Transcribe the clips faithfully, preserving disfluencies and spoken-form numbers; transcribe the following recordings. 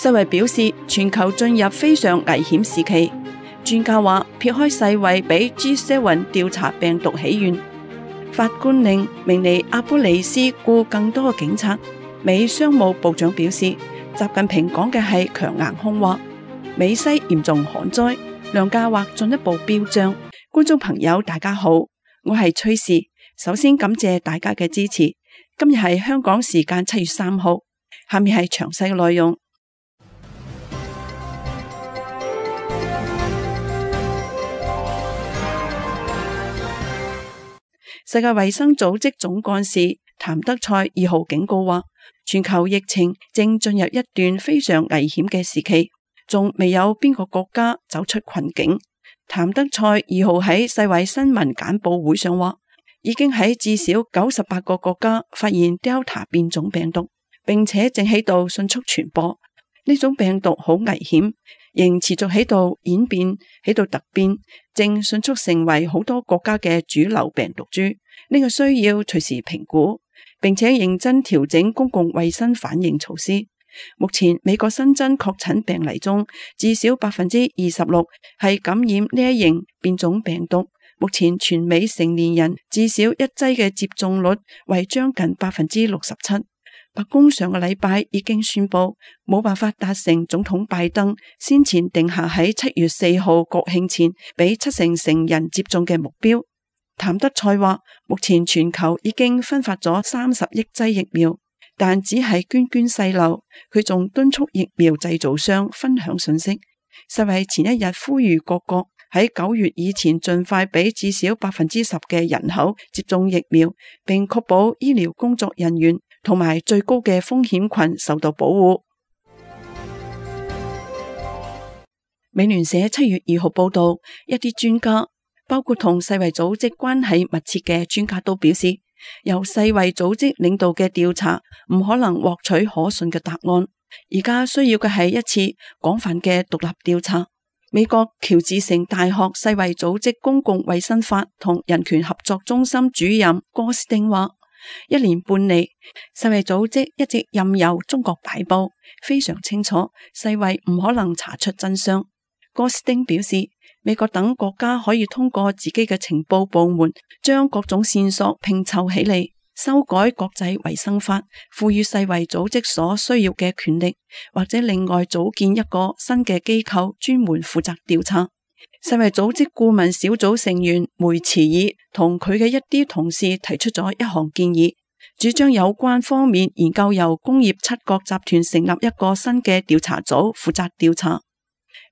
世衛表示，全球進入非常危險時期。專家話，撇開世衛俾 G 七 調查病毒起源，法官令明尼阿波利斯僱更多警察。美商務部長表示，習近平講嘅係強硬空話。美西嚴重旱災，糧價或進一步飆漲。觀眾朋友大家好，我係崔氏，首先感謝大家嘅支持。今日係香港時間七月三號，下面係詳細嘅內容。世界衛生組織總幹事譚德塞二號警告話，全球疫情正進入一段非常危險嘅時期，仲未有邊個國家走出困境。譚德塞二號喺世衛新聞簡報會上話，已經喺至少九十八個國家發現 Delta 變種病毒，並且正喺度迅速傳播。呢種病毒好危險，仍持續喺度演變，喺度突變，正迅速成為好多國家嘅主流病毒株。呢個需要隨時評估，並且認真調整公共衛生反應措施。目前美國新增確診病例中，至少百分之二十六係感染呢一型變種病毒。目前全美成年人至少一劑嘅接種率為將近百分之六十七。白宮上個禮拜已經宣布冇辦法達成總統拜登先前定下喺七月四號國慶前俾七成成人接種嘅目標。譚德塞話，目前全球已經分發咗三十億劑疫苗，但只係涓涓細流。佢仲敦促疫苗製造商分享信息。世衛前一日呼籲各國喺九月以前盡快俾至少百分之十嘅人口接種疫苗，並確保醫療工作人員同埋最高嘅風險群受到保護。美聯社七月二號報道，一啲專家，包括同世衛組織關係密切嘅專家都表示，由世衛組織領導嘅調查唔可能獲取可信嘅答案。而家需要嘅係一次廣泛嘅獨立調查。美國喬治城大學世衛組織公共衛生法同人權合作中心主任戈斯丁話，一年半嚟，世衛組織一直任由中國擺布，非常清楚世衛唔可能查出真相。戈斯丁表示，美國等國家可以通過自己嘅情報部門，將各種線索拼湊起嚟，修改國際衛生法，賦予世衛組織所需要嘅權力，或者另外組建一個新嘅機構，專門負責調查。世衛組織顧問小組成員梅茨爾同佢嘅一啲同事提出咗一項建議，主張有關方面研究由工業七國集團成立一個新嘅調查組，負責調查。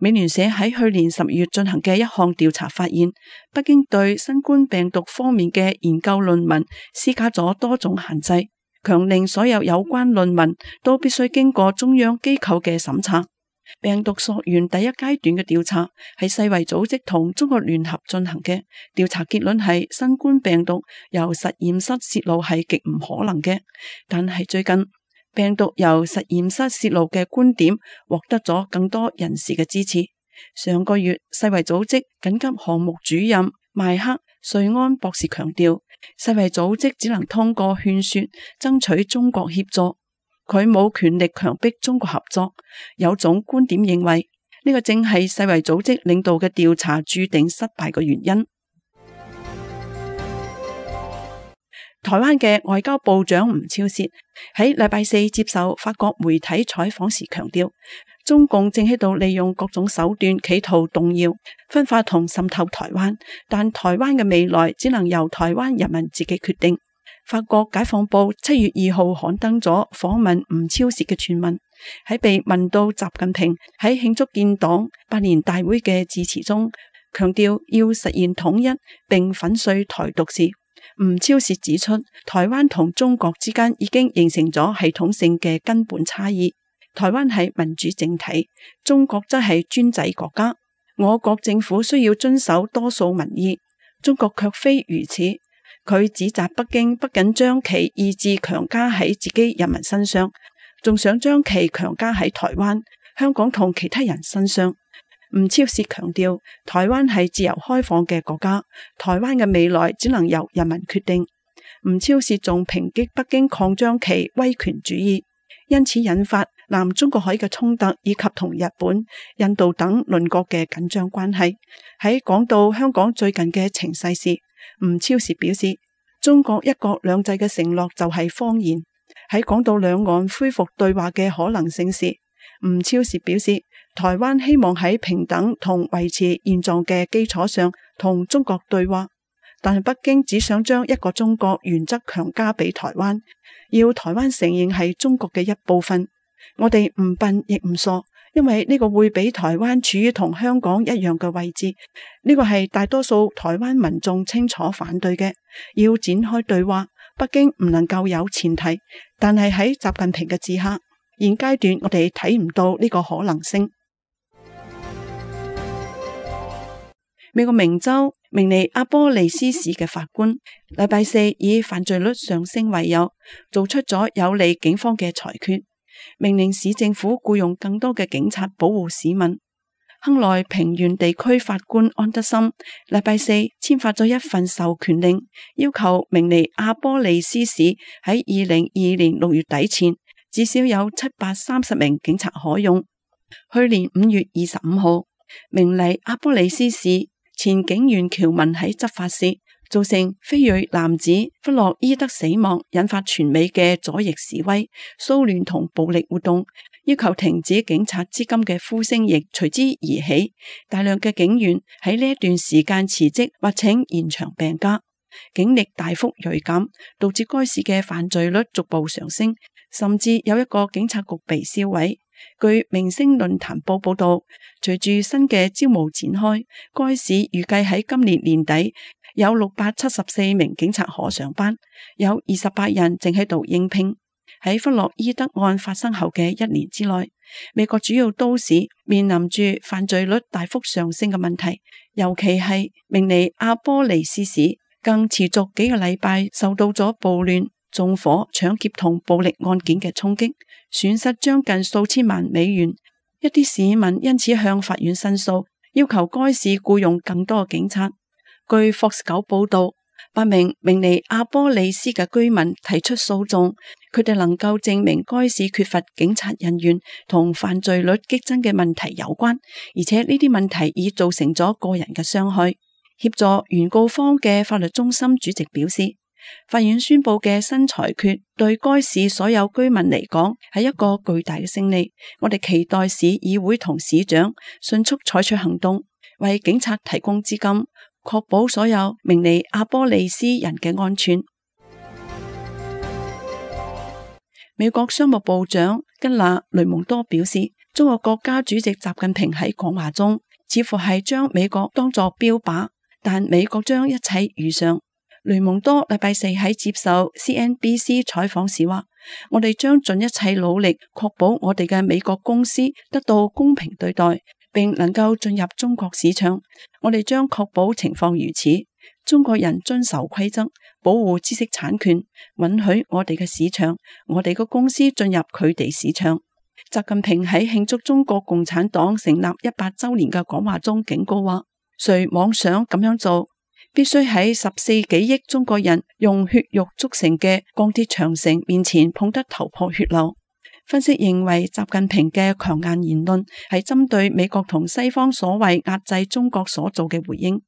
美聯社喺去年十月進行嘅一項調查發現，北京對新冠病毒方面嘅研究論文施加咗多種限制，強令所有有關論文都必須經過中央機構嘅審查。病毒溯源第一階段嘅調查係世衛組織同中國聯合進行嘅，調查結論係新冠病毒由實驗室洩露係極唔可能嘅，但係最近病毒由實驗室洩露嘅觀點獲得咗更多人士嘅支持。上個月，世衛組織緊急項目主任邁克瑞安博士強調，世衛組織只能通過勸說爭取中國協助，佢冇權力強迫中國合作。有種觀點認為，呢個正係世衛組織領導嘅調查注定失敗嘅原因。台灣嘅外交部長吳釗燮喺禮拜四接受法國媒體採訪時強調，中共正喺度利用各種手段企圖動搖、分化同滲透台灣，但台灣嘅未來只能由台灣人民自己決定。法國解放報七月二號刊登咗訪問吳釗燮嘅全文，喺被問到習近平喺慶祝建黨百年大會嘅致辭中，強調要實現統一並粉碎台獨時，吳釗燮指出，台灣同中國之間已經形成咗系統性嘅根本差異。台灣係民主政體，中國則係專制國家。我國政府需要遵守多數民意，中國卻非如此。佢指責北京不僅將其意志強加喺自己人民身上，仲想將其強加喺台灣、香港同其他人身上。吳釗燮強調，台灣係自由開放嘅國家，台灣嘅未來只能由人民決定。吳釗燮仲抨擊北京擴張其威權主義，因此引發南中國海嘅衝突以及同日本、印度等鄰國嘅緊張關係。喺講到香港最近嘅情勢時，吳釗燮表示，中國一國兩制嘅承諾就係謊言。喺講到兩岸恢復對話嘅可能性時，吳釗燮表示，台灣希望喺平等同維持現狀嘅基礎上同中國對話，但係北京只想將一個中國原則強加俾台灣，要台灣承認係中國嘅一部分。我哋唔笨亦唔傻，因為呢個會俾台灣處於同香港一樣嘅位置，呢個係大多數台灣民眾清楚反對嘅。要展開對話，北京唔能夠有前提，但係喺習近平嘅治下，現階段我哋睇唔到呢個可能性。美國明州明尼阿波利斯市嘅法官禮拜四以犯罪率上升為由，做出咗有利警方嘅裁決，命令市政府僱用更多嘅警察保護市民。亨萊平原地區法官安德森禮拜四簽發咗一份授權令，要求明尼阿波利斯市喺二零二二年六月底前至少有七百三十名警察可用。去年五月二十五號，明尼阿波利斯市前警員喬文喺執法時造成非裔男子弗洛伊德死亡，引發全美嘅左翼示威、騷亂同暴力活動，要求停止警察資金嘅呼聲亦隨之而起。大量嘅警員喺呢一段時間辭職或請延長病假，警力大幅銳減，導致該市嘅犯罪率逐步上升，甚至有一個警察局被銷毀。據明星論壇報報道，隨住新嘅招募展開，該市預計喺今年年底有六百七十四名警察可上班，有二十八人正喺度應聘。喺弗洛伊德案發生後嘅一年之內，美國主要都市面臨住犯罪率大幅上升嘅問題，尤其係明尼阿波利斯市更持續幾個禮拜受到咗暴亂、縱火、搶劫同暴力案件嘅衝擊，損失將近數千萬美元。一啲市民因此向法院申訴，要求該市僱用更多警察。據 Fox 九報道，八名明尼阿波利斯嘅居民提出訴訟，佢哋能夠證明該市缺乏警察人員同犯罪率激增嘅問題有關，而且呢啲問題已造成咗個人嘅傷害。協助原告方嘅法律中心主席表示，法院宣布嘅新裁決對該市所有居民嚟講係一個巨大嘅勝利。我哋期待市議會同市長迅速採取行動，為警察提供資金，確保所有明尼阿波利斯人嘅安全。美國商務部長吉娜雷蒙多表示，中國國家主席習近平喺講話中似乎係將美國當作標靶，但美國將一切如常。雷蒙多禮拜四喺接受 C N B C 採訪時話，我哋將盡一切努力確保我哋嘅美國公司得到公平對待，並能夠進入中國市場。我哋將確保情況如此，中國人遵守規則，保護知識產權，允許我哋嘅市場，我哋嘅公司進入佢哋市場。習近平喺慶祝中國共產黨成立一百周年嘅講話中警告話，誰妄想咁樣做，必須喺十四幾億中國人用血肉築成嘅鋼鐵長城面前碰得頭破血流。分析認為，習近平嘅強硬言論係針對美國同西方所謂壓制中國所做嘅回應。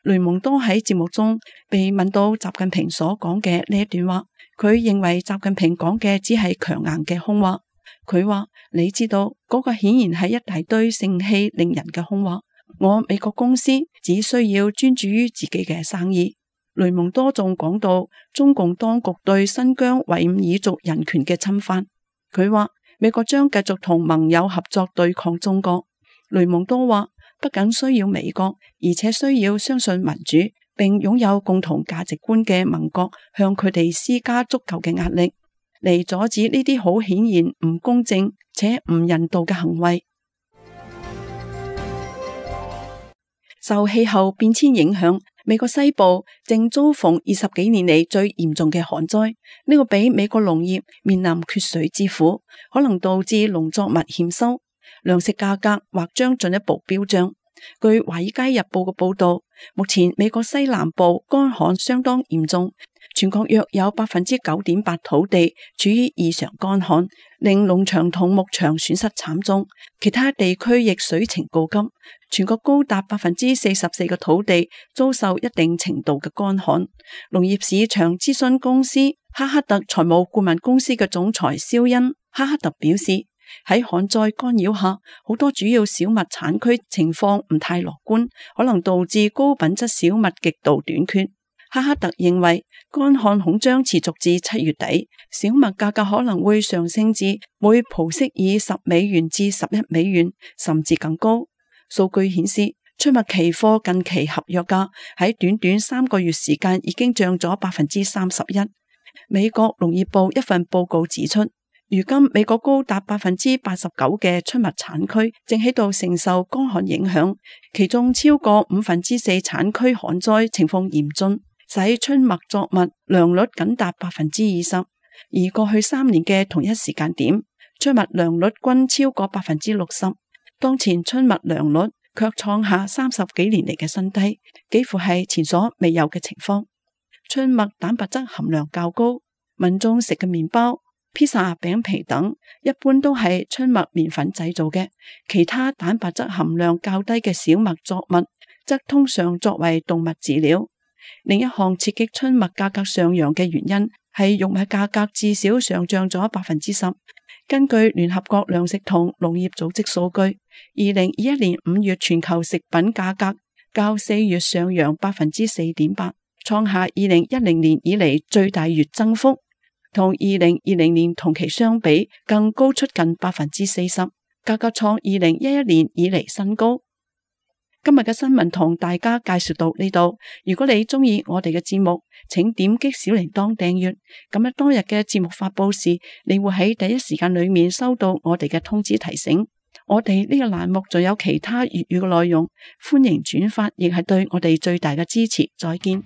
雷蒙多喺節目中被問到習近平所講嘅呢一段話，佢認為習近平講嘅只係強硬嘅空話。佢話，你知道嗰個顯然係一大堆盛氣凌人嘅空話。我美國公司只需要專注於自己嘅生意。雷蒙多仲講到中共當局對新疆維吾爾族人權嘅侵犯。佢話美國將繼續同盟友合作對抗中國。雷蒙多話，不僅需要美國，而且需要相信民主並擁有共同價值觀嘅盟國向佢哋施加足夠嘅壓力，嚟阻止呢啲好顯然唔公正且唔人道嘅行為。受氣候變遷影響，美國西部正遭逢二十幾年嚟最嚴重嘅寒災，呢個比美國農業面臨缺水之苦，可能導致農作物欠收，糧食價格或將進一步飆漲。據華爾街日報嘅報道，目前美國西南部乾旱相當嚴重，全國約有百分之九點八土地處於異常乾旱，令農場同牧場損失慘重。其他地區亦水情告急，全國高達百分之四十四嘅土地遭受一定程度嘅乾旱。農業市場諮詢公司哈克特財務顧問公司嘅總裁肖恩哈克特表示，喺旱災干擾下，好多主要小麥產區情況唔太樂觀，可能導致高品質小麥極度短缺。哈克特認為，乾旱恐將持續至七月底，小麥價格可能會上升至每蒲式以十美元至十一美元，甚至更高。數據顯示，出麥期貨近期合約價喺短短三個月時間已經漲咗百分之三十一。美國農業部一份報告指出，如今美國高達百分之八十九嘅出麥產區正喺度承受乾旱影響，其中超過五分之四產區旱災情況嚴峻，使春麥作物良率僅達百分之二十，而過去三年嘅同一時間點，出麥良率均超過百分之六十。當前春麥良率卻創下三十幾年嚟嘅新低，幾乎係前所未有嘅情況。春麥蛋白質含量較高，民眾食嘅麵包、披薩、餅皮等一般都係春麥麵粉製造嘅，其他蛋白質含量較低嘅小麥作物則通常作為動物飼料。另一項刺激春麥價格上揚嘅原因係玉米價格至少上漲咗百分之十。根據聯合國糧食同農業組織數據，二零二一年五月全球食品價格較四月上揚百分之四點八，創下二零一零年以嚟最大月增幅，同二零二零年同期相比更高出近百分之四十，價格創二零一一年以嚟新高。今日嘅新聞同大家介紹到呢度。如果你鍾意我哋嘅節目，請點擊小鈴鐺訂閱，咁樣當日嘅節目發佈時，你會喺第一時間裏面收到我哋嘅通知提醒。我哋呢個欄目仲有其他粵語嘅內容，歡迎轉發，亦係對我哋最大嘅支持。再見。